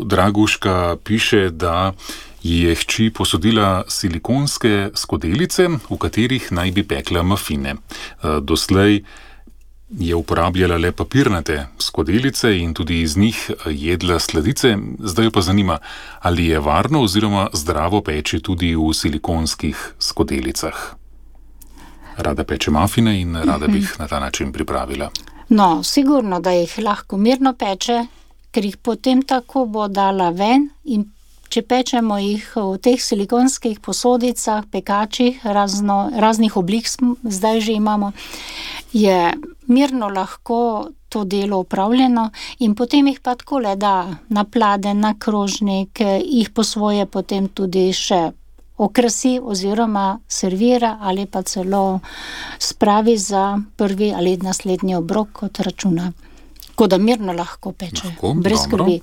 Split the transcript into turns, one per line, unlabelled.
Draguška piše, da je hči posodila silikonske skodelice, v katerih naj bi pekla mafine. Doslej je uporabljala le papirnate skodelice in tudi iz njih jedla sladice. Zdaj pa zanima, ali je varno oziroma zdravo peči tudi v silikonskih skodelicah. Rada peče mafine in rada bi jih na ta način pripravila.
No, sigurno, da jih lahko mirno peče, ker jih potem tako bo dala ven in če pečemo jih v teh silikonskih posodicah, pekačih, raznih oblik zdaj že imamo, je mirno lahko to delo opravljeno in potem jih pa takole da na pladenj, na krožnik, jih po svoje potem tudi še okrasi oziroma servira ali pa celo spravi za prvi ali naslednji obrok, kot računa. Tako da mirno lahko peče, brez skrbi.